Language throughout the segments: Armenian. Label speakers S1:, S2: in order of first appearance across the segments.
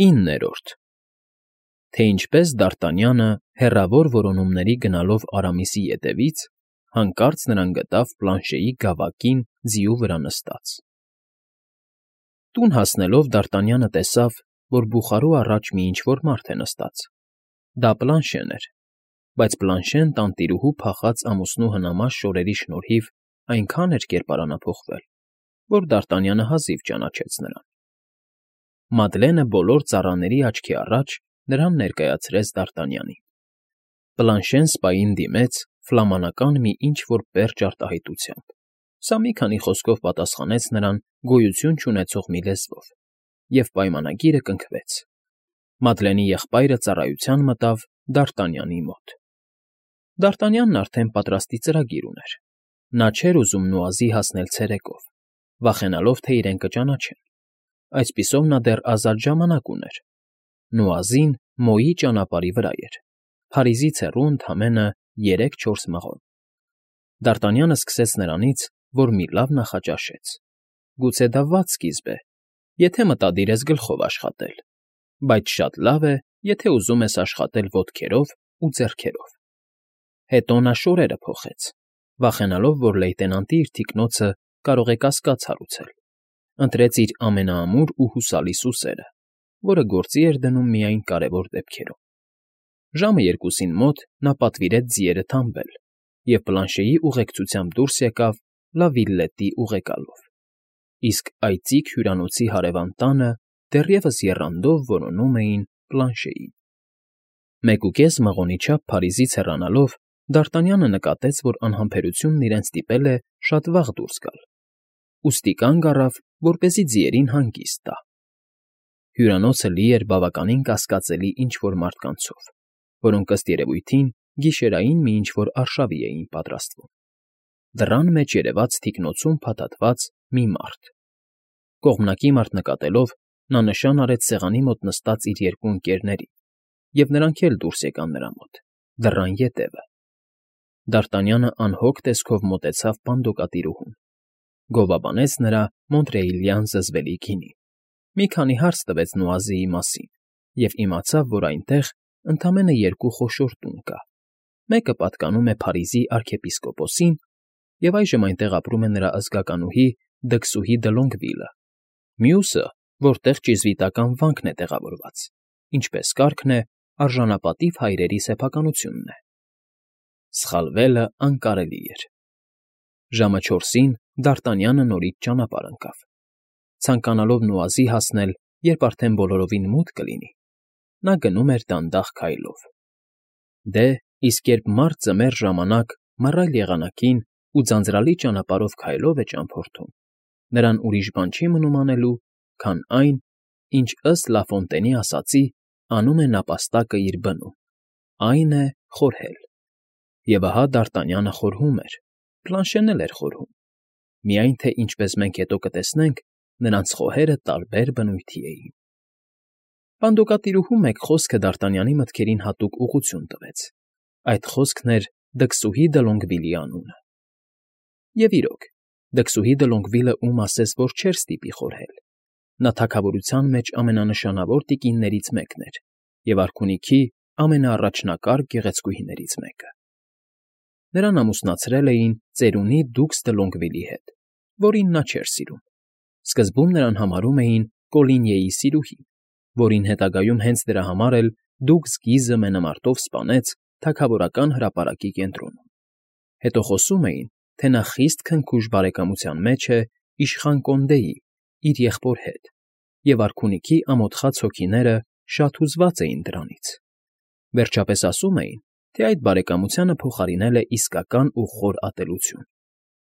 S1: 9-րդ Թե ինչպես Դարտանյանը հեռավոր որոնումների գնալով Արամիսի ետևից հանկարծ նրան գտավ Պլանշեի գավակին ձիու վրա նստած։ Տուն հասնելով Դարտանյանը տեսավ, որ բուխարու առաջ մի ինչ֊որ մարդ է նստած։ Դա Պլանշեն էր, բայց Պլանշեն տանտիրուհու փախած ամուսնու հնամաշ շորերի շնորհիվ այնքան էր կերպարանափոխվել, որ Դարտանյանը հազիվ ճանաչեց նրան։ Մադլենը բոլոր ծառաների աչքի առաջ նրան ներկայացրեց Դարտանյանին։ Պլանշեն սպային դիմեց ֆլամանական մի ինչ֊որ պերճ արտահայտությամբ, սա մի քանի խոսքով պատասխանեց նրան գոյություն չունեցող մի լեզվով, և պայմանագիրը կնքվեց։ Մադլենի եղբայրը ծառայության մտավ Դարտանյանի մոտ։ Դարտանյանն արդեն պատրաստի ծրագիր ուներ։ Նա չէր ուզում Նուազի հասնել ցերեկով, վախենալով, թե իրեն կճանաչեն։ Այսպիսով նա դեռ ազատ ժամանակ ուներ։ Նուազին Մոյի ճանապարհի վրա էր, Փարիզից հեռու ընդամենը 3-4 մղոն։ Դարտանյանը սկսեց նրանից, որ մի լավ նախաճաշեց։ Գուցե դա վատ սկիզբ է, եթե մտադիր ես գլխով աշխատել, բայց շատ լավ է, եթե ուզում ես աշխատել ոտքերով ու ձեռքերով։ Հետո նա շորերը փոխեց, վախենալով, որ լեյտենանտի իր թիկնոցը կարող է կասկած հարուցել։ Ընտրեց իր ամենաամուր ու հուսալի սուսերը, որը գործի էր դնում միայն կարևոր դեպքերում։ Ժամը 2-ին մոտ նա պատվիրեց ձիերը թամբել և Պլանշեի ուղեկցությամբ դուրս եկավ Լա Վիլլետի ուղեկալով, իսկ այծիկ հյուրանոցի հարևան տանը դեռևս եռանդով որոնում էին Պլանշեին։ 1.5 մղոնի չափ Փարիզից հեռանալով Դարտանյանը նկատեց, որ անհամբերությունն իրեն ստիպել է շատ վաղ դուրս գալ, ուստի կանգ առավ, որպեսզի ձիերին հանգիստ տա։ Հյուրանոցը լի էր բավականին կասկածելի ինչ֊որ մարդկանցով, որոնք ըստ երևույթին գիշերային մի ինչ֊որ արշավի էին պատրաստվում։ Դռան մեջ երևաց թիկնոցում փաթաթված մի մարդ։ Կողմնակի մարդ նկատելով, նա նշան արեց սեղանի մոտ նստած իր երկու ընկերներին, և նրանք էլ դուրս եկան նրա մոտ, դռան ետևը։ Դարտանյանը անհոգ տեսքով մոտեցավ պանդոկատիրուհուն, գովաբանեց նրա մոնտրեիլյան զզվելի գինին, մի քանի հարց տվեց Նուազիի մասին և իմացավ, որ այնտեղ ընդամենը 2 խոշոր տուն կա. մեկը պատկանում է Փարիզի արքեպիսկոպոսին, և այժմ այնտեղ ապրում է նրա ազգականուհի Դքսուհի դը Լոնգվիլը, մյուսը, որտեղ ճիզվիտական վանքն է տեղավորված, ինչպես կարգն է, արժանապատիվ հայրերի սեփականությունն է։ Սխալվելը անկարելի էր։ Ժամը 4-ին Դարտանյանը նորից ճանապարհ ընկավ, ցանկանալով Նուազի հասնել, երբ արդեն բոլորովին մութ կլինի, նա գնում էր դանդաղ քայլով։ Դե, իսկ երբ մարդ ձմեռ ժամանակ մռայլ եղանակին ու ձանձրալի ճանապարհով քայլով է ճամփորդում, նրան ուրիշ բան չի մնում անելու, քան այն, ինչ ըստ Լաֆոնտենի ասածի անում է նապաստակը իր բնում, այն է խորհել։ Եվ ահա Դարտանյանը խորհում էր, Պլանշեն էլ էր խորհում, միայն թե, ինչպես մենք հետո կտեսնենք, նրանց խոհերը տարբեր բնույթի էին։ Պանդոկատիրուհու մեկ խոսքը Դարտանյանի մտքերին հատուկ ուղղություն տվեց. այդ խոսքն էր Դքսուհի դը Լոնգվիլի անունը։ Եվ իրոք, Դքսուհի դը Լոնգվիլը ում ասես, որ չէր ստիպի խորհել։ Նա թագավորության մեջ ամենանշանավոր տիկիններից մեկն էր և արքունիքի ամենաառաջնակարգ գեղեցկուհիներից մեկը։ Նրան ամուսնացրել էին ծերունի Դուքս դը Լոնգվիլի հետ, որին նա չէր սիրում։ Սկզբում նրան համարում էին Կոլինիեի սիրուհի, որին հետագայում հենց դրա համար էլ Դուքս Գիզը մենամարտով սպանեց թագավորական հրապարակի կենտրոնում։ Հետո խոսում էին, թե նա խիստ քնքուշ բարեկամության մեջ է իշխան Կոնդեի, իր եղբոր հետ, և արքունիքի ամոթխած հոգիները շատ հուզված էին դրանից։ Վերջապես ասում էին, թե այդ բարեկամությանը փոխարինել է իսկական ու խոր ատելություն,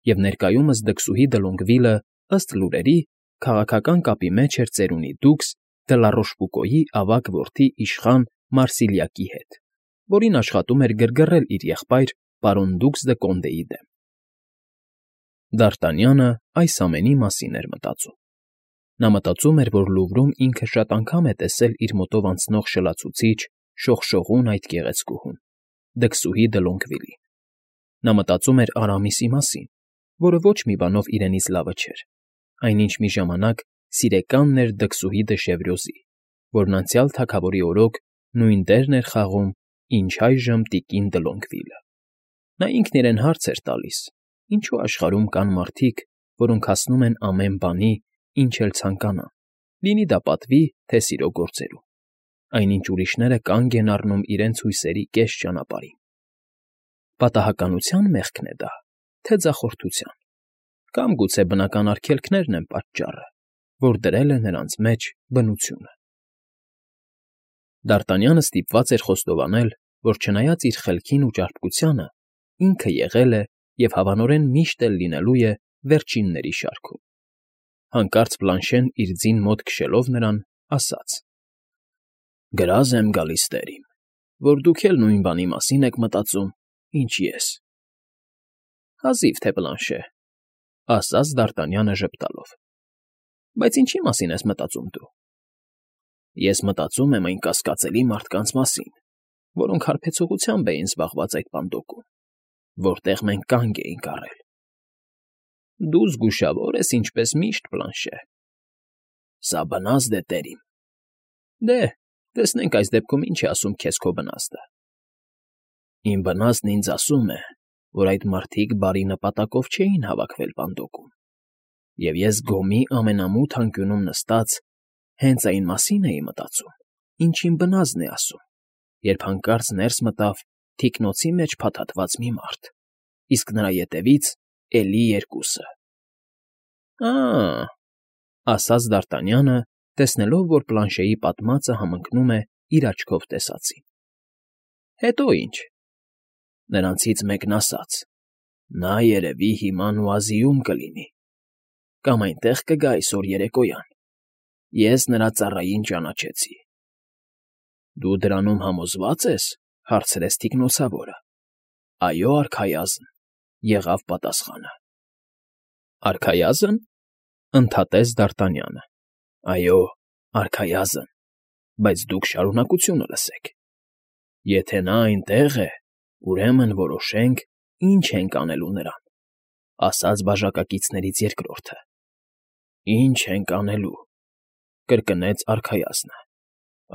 S1: և ներկայումս Դքսուհի դը Լոնգվիլը, ըստ լուրերի, քաղաքական կապի մեջ էր ծերունի Դուքս դը Լա Ռոշբուկոյի ավագ որդի իշխան Մարսիլիակի հետ, որին աշխատում էր գրգռել իր եղբայր պարոն Դուքս դը Կոնդեի դեմ։ Դարտանյանը այս ամենի մասին էր մտածում։ Նա մտածում էր, որ Լուվրում ինքը շատ անգամ է տեսել իր մոտով անցնող շլացուցիչ, շողշողուն այդ գեղեցկուհուն՝ Դքսուհի դը Լոնգվիլին։ Նա մտածում էր Արամիսի մասին, որը ոչ մի բանով իրենից լավը չէր, այնինչ մի ժամանակ սիրեկանն էր Դքսուհի դը Շևրյոզի, որն անցյալ թագավորի օրոք նույն դերն էր խաղում, ինչ այժմ տիկին Դլոնգվիլը։ Նա ինքն իրեն հարց էր տալիս. ինչու աշխարհում կան մարդիկ, որոնք հասնում են ամեն բանի, ինչ էլ ցանկանան, լինի դա պատվի, թե սիրո գործերում, այնինչ ուրիշները կանգ են առնում իրենց հույսերի կես ճանապարհին։ Պատահականության մեղքն է դա, թե ձախորդության, կամ գուցե բնական արգելքներն են պատճառը, որ դրել է նրանց մեջ բնությունը։ Դ'Արտանյանը ստիպված էր խոստովանել, որ չնայած իր խելքին ու ճարպկությանը, ինքը եղել է և հավանորեն միշտ էլ լինելու է վերջինների շարքում։ Հանկարծ Բլանշեն իր ձին մոտ քշելով նրան, ասաց. «Գրազ եմ գալիս, տեր իմ, որ դուք էլ նույն բանի մասին եք մտածում, ինչ ես»։ «Հազիվ թե Բլանշե», ասաց Դ'Արտանյանը ժպտալով, «բայց ինչի մասին ես մտածում դու»։ «Ես մտածում եմ այն կասկածելի մարդկանց մասին, որոնք հարբեցողությամբ էին զբաղված այդ պանդոկում, որտեղ մենք կանգ էինք առել»։ «Դու զգուշավոր ես, ինչպես միշտ, Բլանշե»։ «Սա բնազդ է, տեր իմ»։ «Դե, տեսնենք այս դեպքում ինչ է ասում քեզ քո բնազդը»։ «Իմ բնազդն ինձ ասում է, որ այդ մարդիկ բարի նպատակով չէին հավաքվել պանդոկում, և ես գոմի ամենամութ անկյունում նստած հենց այն մասին էի մտածում, ինչ իմ բնազդն է ասում, երբ հանկարծ ներս մտավ թիկնոցի մեջ փաթաթված մի մարդ, իսկ նրա ետևից էլի երկուսը»։ «Ա՜», ասաց Դ'Արտանյանը, տեսնելով, որ Պլանշեի պատմածը համընկնում է իր աչքով տեսածին։ «Հետո ինչ»։ «Նրանցից մեկն ասաց. նա երևի հիմա Նուազիում կլինի, կամ այնտեղ կգա այսօր երեկոյան, ես նրա ծառային ճանաչեցի»։ «Դու դրանում համոզվա՞ծ ես», հարցրեց թիկնոցավորը։ «Այո, արքայազն», եղավ պատասխանը։ «Արքայազն», ընդհատեց Դ'Արտանյանը։ «Այո, արքայազն, բայց դուք շարունակությունը լսեք։ Եթե նա այնտեղ է, ուրեմն որոշենք, ինչ ենք անելու նրան», ասաց բաժակակիցներից երկրորդը։ «Ինչ ենք անելու», կրկնեց արքայազնը։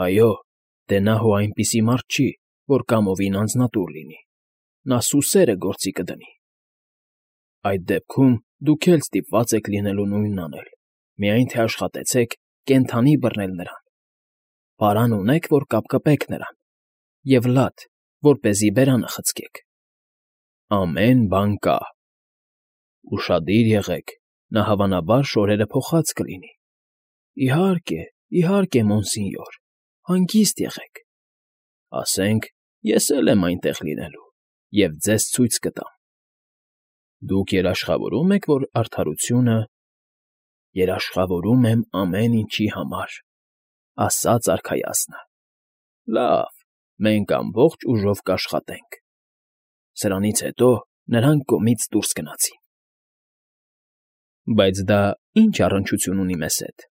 S1: «Այո, դե նա հո այնպիսի մարդ չի, որ կամովին անձնատուր լինի, նա սուսերը գործի կդնի»։ «Այդ դեպքում դուք էլ ստիպված եք լինելու նույնն անել, միայն թե աշխատեցեք կենդանի բռնել նրան։ Պարան ունեք, որ կապկպեք նրան, և լադ, որպեսզի բերանը խցկեք»։ «Ամեն բան կա»։ «Ուշադիր եղեք, նա հավանաբար շորերը փոխած կլինի»։ «Իհարկե, իհարկե, մոնսինյոր, հանգիստ եղեք»։ «Ասենք, ես էլ եմ այնտեղ լինելու և ձեզ ցույց կտամ»։ «Դուք երաշխավորում եք, որ արդարությունը»։ «Երաշխավորում եմ ամեն ինչի համար», ասաց արքայազնը։ «Լավ, մենք ամբողջ ուժով կաշխատենք»։ Սրանից հետո նրանք գոմից դուրս գնացին։ «Բայց դա ի՞նչ առնչություն ունի մեզ հետ»,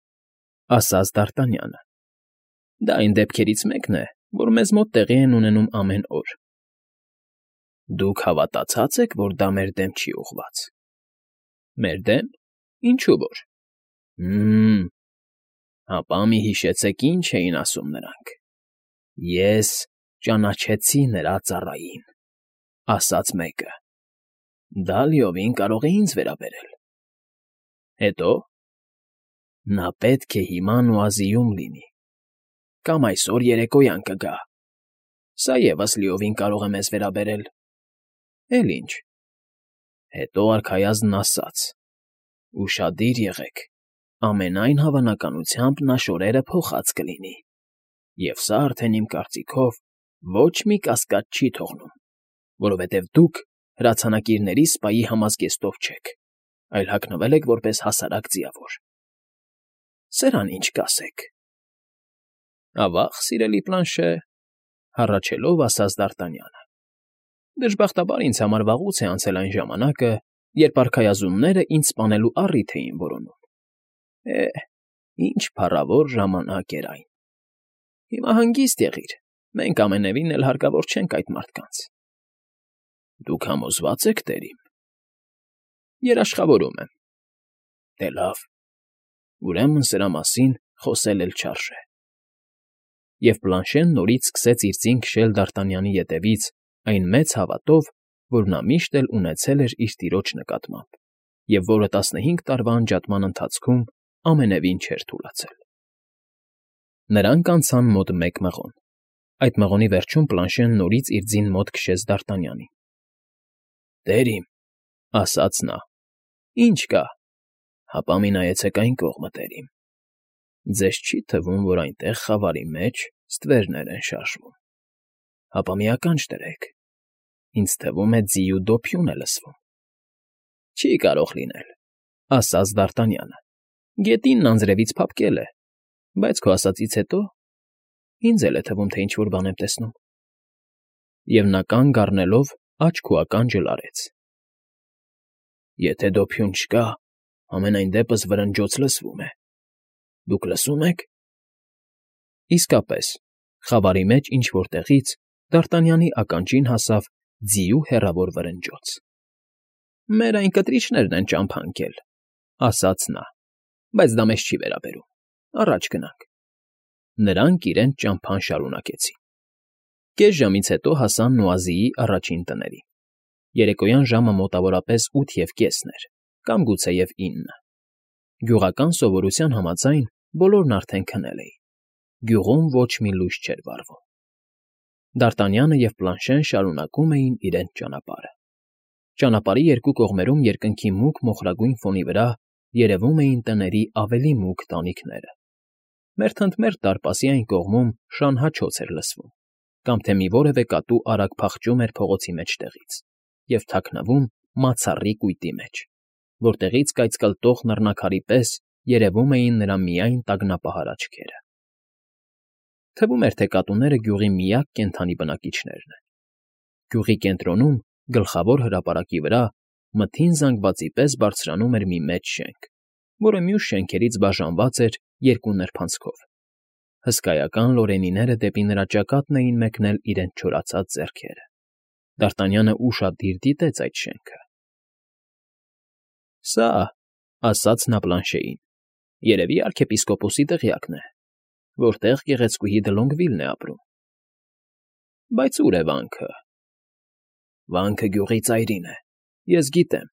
S1: ասաց Դ'Արտանյանը։ «Դա այն դեպքերից մեկն է, որ մեզ մոտ տեղի են ունենում ամեն օր»։ «Դուք հավատացած եք, որ դա մեր դեմ չի ուղղված»։ «Մեր դեմ, ինչու որ»։ Հապա մի հիշեցեք, ինչ էին ասում նրանք։ «Ես ճանաչեցի նրա ծառային», ասաց մեկը։ «Դա լիովին կարող է ինձ վերաբերել»։ «Հետո»։ «Նա պետք է հիմա Նուազիում լինի, կամ այսօր երեկոյան կգա։ Սա ևս լիովին կարող է մեզ վերաբերել»։ «Էլ ինչ»։ Հետո արքայազնն ասաց. «Ուշադիր եղեք, ամենայն հավանականությամբ նա շորերը փոխած կլինի, և սա արդեն իմ կարծիքով ոչ մի կասկած չի թողնում, որովհետև դուք հրացանակիրների սպայի համազգեստով չեք, այլ հագնվել եք որպես հասարակ ձիավոր։ Սրան ինչ կասեք»։ «Ավա՜ղ, սիրելի Պլանշե», հառաչելով ասաց Դ'Արտանյանը։ «Դժբախտաբար ինձ համար վաղուց է անցել այն ժամանակը, երբ արքայազնները ինձ սպանելու առիթ էին որոնում։ Ինչ փառավոր ժամանակ էր այն։ Հիմա հանգիստ եղիր, մենք ամենևին էլ հարկավոր չենք այդ մարդկանց»։ «Դուք համոզվա՞ծ եք, տեր իմ»։ «Երաշխավորում եմ»։ «Դե լավ, ուրեմն սրա մասին խոսել էլ չարժե»։ և Բլանշեն նորից սկսեց իր ձին քշել Դարտանյանի ետևից այն մեծ հավատով, որ նա միշտ էլ ունեցել էր իր տիրոջ նկատմամբ, և որը 15 տարվա անջատման ընթացքում ամենևին չէր թուլացել։ Նրանք անցան մոտ 1 մղոն։ Այդ մղոնի վերջում Բլանշեն նորից իր ձին մոտ քշեց Դարտանյանին։ «Տեր իմ», ասաց նա։ «Ինչ կա»։ «Հապա մի նայեցեք այն կողմը, տեր իմ։ Ձեզ չի թվում, որ այնտեղ խավարի մեջ ստվերներ են շարժվում։ Հապա մի ականջ դրեք, ինձ թվում է ձիու դոփյուն է լսվում»։ «Չի կարող լինել», ասաց Դարտանյանը։ «Գետինն անձրևից փափկել է, բայց քո ասածից հետո ինձ էլ է թվում, թե ինչ֊որ բան եմ տեսնում»։ Եվ նա կանգ առնելով աջ ու ականջը լարեց։ «Եթե դոփյուն չկա, համենայն դեպս վրնջոց լսվում է։ Դուք լսում եք»։ Իսկապես, խավարի մեջ ինչ֊որ տեղից Դարտանյանի ականջին հասավ ձիու հեռավոր վրնջոց։ «Մեր այն կտրիչներն են ճամփա ընկել», ասաց նա, «բայց դա մեզ չի վերաբերում, առաջ գնանք»։ Նրանք իրենց ճամփան շարունակեցին։ Կես ժամից հետո հասան Նոազիի առաջին տներին։ Երեկոյան ժամը մոտավորապես 8:30 էր, կամ գուցեև 9։ Գյուղական սովորության համաձայն բոլորն արդեն քնել էին։ Գյուղում ոչ մի լույս չէր վառվում։ Դարտանյանը և Բլանշեն շարունակում էին իրենց ճանապարհը։ Ճանապարհի երկու կողմերում երկնքի մուգ մոխրագույն ֆոնի վրա երևում էին տների ավելի մուգ տանիքները։ Մերթընդմերթ դարպասի այն կողմում շան հաչոց էր լսվում, կամ թե մի որևէ կատու արագ փախչում էր փողոցի մեջտեղից և թաքնվում մացառի կույտի մեջ, որտեղից կայծկլտող նռնաքարի պես երևում էին նրա միայն տագնապահար աչքերը։ Թվում էր, թե կատուները գյուղի միակ կենդանի բնակիչներն են։ Գյուղի կենտրոնում, գլխավոր հրապարակի վրա, մթին զանգվածի պես բարձրանում էր մի մեծ շենք, որը մյուս շենքերից բաժանված էր երկու նրբանցքով։ Հսկայական լորենիները դեպի նրա ճակատն էին մեկնել իրենց չորացած ձեռքերը։ Դարտանյանը ուշադիր դիտեց այդ շենքը։ «Սա,֊ ասաց նա Բլանշեին,֊ երևի արքեպիսկոպոսի տեղյակն է, որտեղ գեղեցկուհի Դլոնգվիլն է ապրում»։ «Բայց ո՞ւր է վանքը»։ «Վանքը գյուղի ծայրին է, ես գիտեմ»։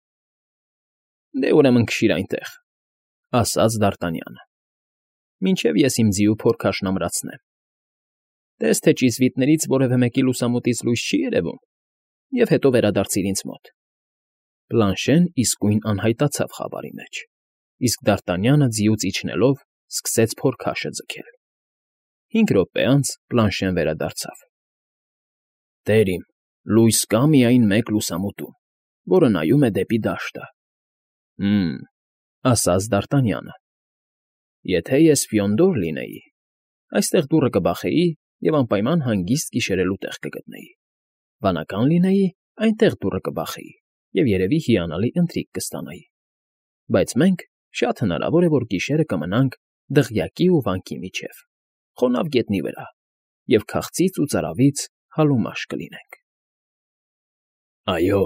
S1: «Դե ուրեմն քշիր այնտեղ», ասաց Դարտանյանը, «մինչև ես իմ ձիու փորքաշն ամրացնեմ։ Տես թե ճիզվիտներից որևէ մեկի լուսամուտից լույս չի երևում, և հետո վերադարձիր ինձ մոտ»։ Բլանշեն իսկույն անհայտացավ խավարի մեջ, իսկ Դարտանյանը ձիուց իջնելով սկսեց փորքաշը ձգել։ 5 րոպե անց Բլանշեն վերադարձավ։ «Տեր իմ, լույս կա միայն մեկ լուսամուտում, որը նայում է դեպի դաշտը»։ «Հը՜մ», ասաց Դարտանյանը, «եթե ես Ֆիոնդոր լինեի, այստեղ դուռը կբախեի և անպայման հանգիստ գիշերելու տեղ կգտնեի։ Վանական լինեի, այնտեղ դուռը կբախեի և երևի հիանալի ընթրիք կստանայի։ Բայց մենք շատ հնարավոր է, որ գիշերը կմնանք դղյակի ու վանքի միջև, խոնավ գետնի վրա, և քաղցից ու ծարավից հալումաշ կլինենք»։ «Այո,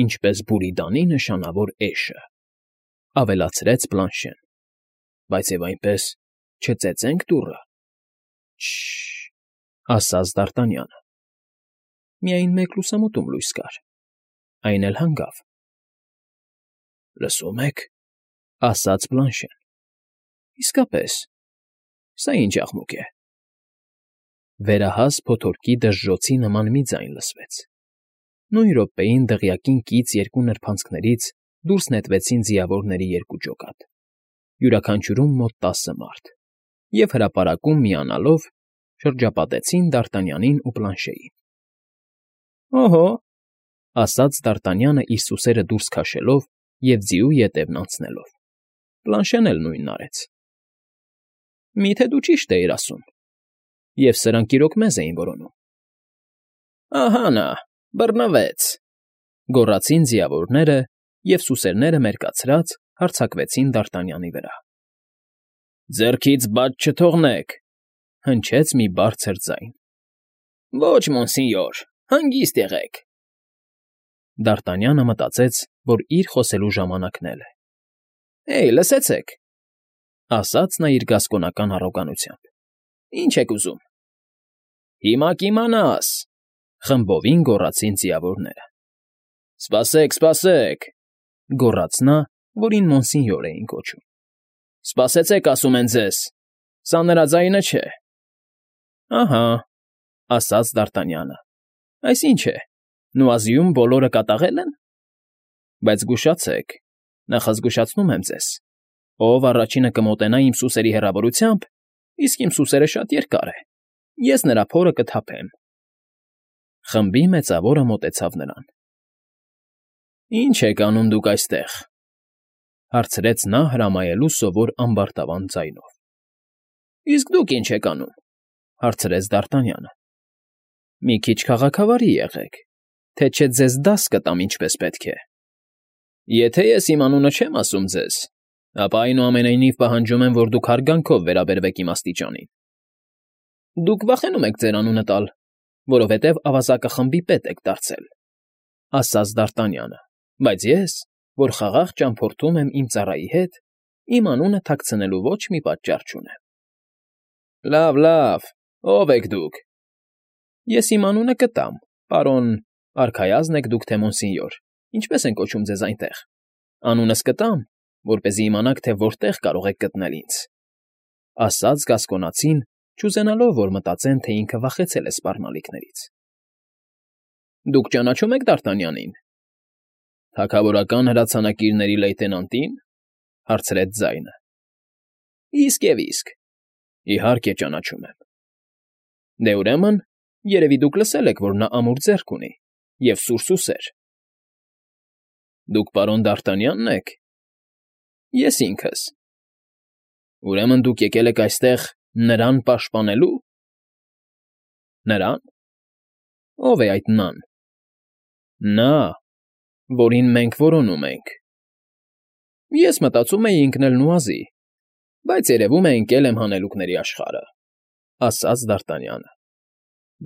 S1: ինչպես Բուրիդանի նշանավոր էշը», ավելացրեց Բլանշեն, «բայց և այնպես չծեծենք դուռը»։ «Շը՜շ», ասաց Դարտանյանը։ Միայն մեկ լուսամուտում լույս կար, այն էլ հանգավ։ «Լսո՞ւմ եք», ասաց Բլանշեն։ «Իսկապես, սա ինչ աղմուկ է»։ Վերահաս փոթորկի դժժոցի նման մի ձայն լսվեց։ Նույն րոպեին դղյակին կից երկու նրբանցքներից դուրս նետվեցին ձիավորների երկու ջոկատ, յուրաքանչյուրում մոտ 10 մարդ, և հրապարակում միանալով շրջապատեցին Դարտանյանին ու Բլանշեին։ «Օհո», ասաց Դարտանյանը իր սուսերը դուրս քաշելով և ձիու ետևն անցնելով։ Բլանշեն էլ նույնն արեց։ «Մի՞թե դու ճիշտ էիր ասում, և սրանք իրոք մեզ էին որոնում»։ «Ահա նա, բռնվեց», գոռացին ձիավորները և սուսերները մերկացրած հարձակվեցին Դարտանյանի վրա։ «Ձեռքից բաց չթողնեք», հնչեց մի բարձր ձայն։ «Ոչ, մոնսինյոր, հանգիստ եղեք»։ Դարտանյանը մտածեց, որ իր խոսելու ժամանակն էլ է։ «Հեյ, լսեցեք», ասաց նա իր գասկոնական առոգանությամբ։ «Ինչ եք ուզում։ Հիմա կիմանաս,֊ խմբովին գոռացին ձիավորները։ Սպասեք, սպասեք,֊ գոռաց նա, որին Մոնսինյոր էին կոչում։ Սպասեցեք, ասում են ձեզ, սա նրա ձայնը չէ։ Ահա,֊ ասաց Դ'Արտանյանը, այս ինչ է, Նուազիում բոլորը կատաղել են։ Բայց զգուշացեք, նախազգուշացնում եմ ձեզ, ով առաջինը կմոտենա իմ սուսերի հեռավորությամբ, իսկ իմ սուսերը շատ երկար է, ես նրա փորը կթափեմ։ Խմբի մեծավորը մոտեցավ նրան։ Ինչ եք անում դուք այստեղ,֊ հարցրեց նա հրամայելու սովոր ամբարտավան ձայնով։ Իսկ դուք ինչ եք անում,֊ հարցրեց Դ'Արտանյանը։ Մի քիչ քաղաքավարի եղեք, թե չէ ձեզ դաս կտամ ինչպես պետք է։ Եթե ես իմ անունը չեմ ասում ձեզ, ապա այնուամենայնիվ պահանջում եմ, որ դուք հարգանքով վերաբերվեք իմ աստիճանին։ Դուք վախենում եք ձեր անունը տալ, որովհետև ավազակը խմբի պետ եք դարձել,֊ ասաց Դ'Արտանյանը, բայց ես, որ խաղաղ ճամփորդում եմ իմ ծառայի հետ, իմ անունը թաքցնելու ոչ մի պատճառ չունեմ։ Լավ, ո՞վ եք դուք։ Ես իմ անունը կտամ, պարոն, արքայազն եք դուք թե Մոնսինյոր, ինչպես են կոչում ձեզ այնտեղ։ Անունս կտամ, որպեսզի իմանաք, թե որտեղ կարող եք գտնել ինձ,֊ ասաց Գասկոնացին, չուզենալով, որ մտածեն, թե ինքը վախեցել է սպառնալիքներից։ Դուք ճանաչում եք Դ'Արտանյանին։ Թագավորական հրացանակիրների լեյտենանտին,֊ հարցրեց ձայնը։ Իսկ և իսկ։ Իհարկե ճանաչում եմ։ Դե ուրեմն, երևի դուք լսել եք, որ նա ամուր ձեռք ունի և սուր սուսեր։ Դուք պարոն Դ'Արտանյանն եք։ Ես ինքս։ Ուրեմն դուք եկել եք այստեղ նրան պաշտպանելու։ Նրան։ Ո՞վ է այդ նան։ Նա, որին մենք որոնում ենք։ Ես մտածում էի ընկնել Նուազի, բայց երևում է ընկել եմ հանելուկների աշխարհը,֊ ասաց Դ'Արտանյանը։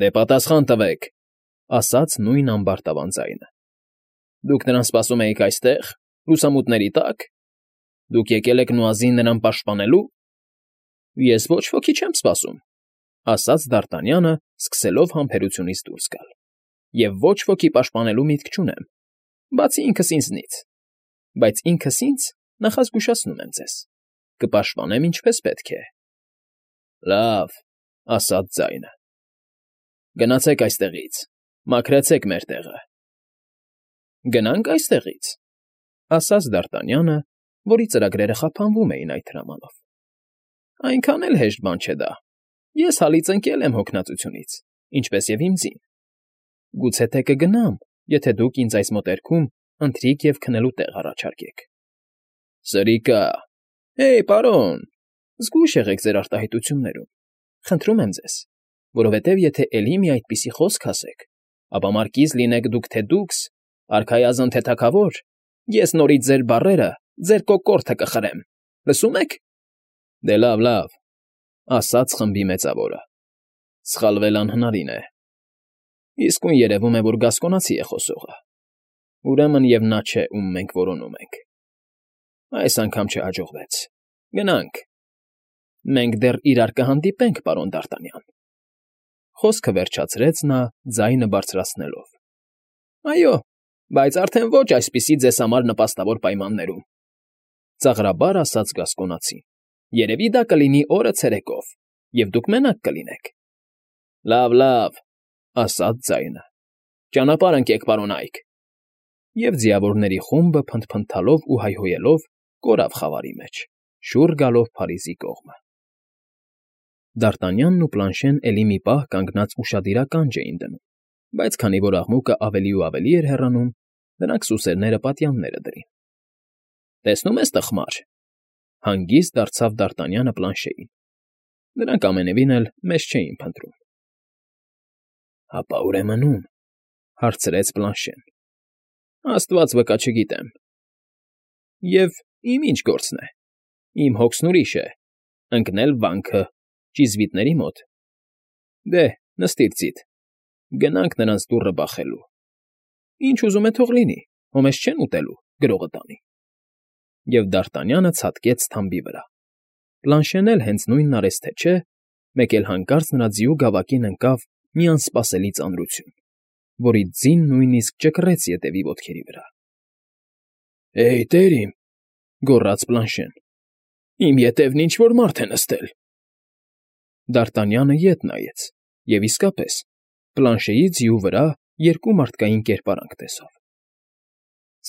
S1: Դե պատասխան տվեք,֊ ասաց նույն ամբարտավան ձայնը։ Դուք նրան սպասում էիք այստեղ, լուսամուտների տակ։ Դուք եկել եք Նուազին նրան պաշտպանելու։ Ես ոչ ոքի չեմ սպասում,֊ ասաց Դ'Արտանյանը, սկսելով համբերությունից դուրս գալ։ Եվ ոչ ոքի պաշտպանելու միտք չունեմ, բացի ինքս ինձնից։ Բայց ինքս ինձ, նախազգուշացնում եմ ձեզ, կպաշտպանեմ ինչպես պետք է։ Լավ,֊ ասաց ձայնը։ Գնացեք այստեղից, մաքրեցեք մեր տեղը։ Գնանք այստեղից,֊ ասաց Դ'Արտանյանը, որի ծրագրերը խափանվում էին այդ հրամանով։ Այնքան էլ հեշտ բան չէ դա։ Ես հալից ընկել եմ հոգնածությունից, ինչպես և իմ ձին։ Գուցե թե կգնամ, եթե դուք ինձ այս մոտերքում ընթրիք և քնելու տեղ առաջարկեք։ Սրիկա, հեյ, պարոն, զգույշ եղեք ձեր արտահայտություններում, խնդրում եմ ձեզ, որովհետև եթե էլի մի այդպիսի խոսք ասեք, ապա մարկիզ լինեք դուք թե դուքս, արքայազն թե թագավոր, ես նորից ձեր բառերը, ձեր կոկորդը կխրեմ, լսում եք։ Դե լավ,֊ ասաց խմբի մեծավորը, սխալվել անհնարին է։ Իսկույն երևում է, որ գասկոնացի է խոսողը։ Ուրեմն և նա չէ, ում մենք որոնում ենք։ Այս անգամ չհաջողվեց։ Գնանք։ Մենք դեռ իրար կհանդիպենք, պարոն Դ'Արտանյան։ Խոսքը վերջացրեց նա, ձայնը բարձրացնելով։ Այո, բայց արդեն ոչ այսպիսի ձեզ համար նպաստավոր պայմաններում,֊ ծաղրաբար ասաց Գասկոնացին։ Երևի դա կլինի օրը ցերեկով, և դուք մենակ կլինեք։ Լավ,֊ ասաց ձայնը։ Ճանապարհ ընկեք, պարոն Այք։ Եվ ձիավորների խումբը փնթփնթալով ու հայհոյելով կորավ խավարի մեջ, շուռ գալով Փարիզի կողմը։ Դ'Արտանյանն ու Պլանշեն էլի մի պահ կանգնած ուշադիր էին դնում, բայց քանի որ աղմուկը ավելի ու ավելի էր հեռանում, նրանք սուսերները պատյանները դրին։ Տեսնում ես, տխմար,֊ հանգիստ դարձավ Դ'Արտանյանը Պլանշեին։ Նրանք ամենևին էլ մեզ չէին փնտրում։ Հապա ուրեմն ում,֊ հարցրեց Պլանշեն։ Աստված վկա չգիտեմ։ Եվ իմ ինչ գործն է։ Իմ հոգսն ուրիշ է, ընկնել վանքը, ճիզվիտների մոտ։ Դե, նստիր ծիտ, գնանք նրանց դուռը բախելու։ Ինչ ուզում է թող լինի, հո մեզ չեն ուտելու, գրողը տանի։ Եվ Դ'Արտանյանը ցատկեց թամբի վրա։ Պլանշեն էլ հենց նույնն արեց թե չէ, մեկ էլ հանկարծ նրա ձիու գավակին ընկավ մի անսպասելի ծանրություն, որից ձին նույնիսկ ճկռեց ետևի ոտքերի վրա։ ֊ Էյ, տեր իմ,֊ գոռաց Պլանշեն,֊ իմ ետևն ինչ֊որ մարդ է նստել… Դ'Արտանյանը ետ նայեց և, իսկապես, Պլանշեի ձիու վրա երկու մարդկային կերպարանք տեսավ։ ֊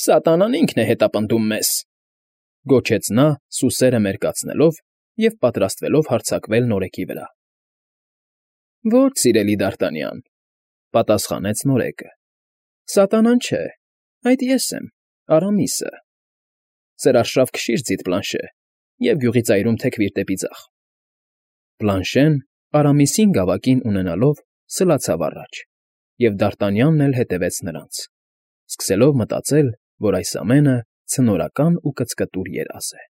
S1: Սատանան ինքն է հետապնդում մեզ,֊ գոչեց նա՝ սուսերը մերկացնելով և պատրաստվելով հարձակվել նորեկի վրա։ ֊ Ոչ, սիրելի Դ'Արտանյան,֊ պատասխանեց նորեկը,֊ սատանան չէ, այդ ես եմ, Արամիսը… Սր արշավ քշիր ձիդ, Պլանշե, և գյուղի ծայրում թեքվիր դեպի ձախ… Պլանշեն, Արամիսին գավակին ունենալով, սլացավ առաջ, և Դ'Արտանյանն էլ հետևեց նրանց, սկսելով մտածել, որ այս ամենը ցնորական ու կծկտուր երազ է։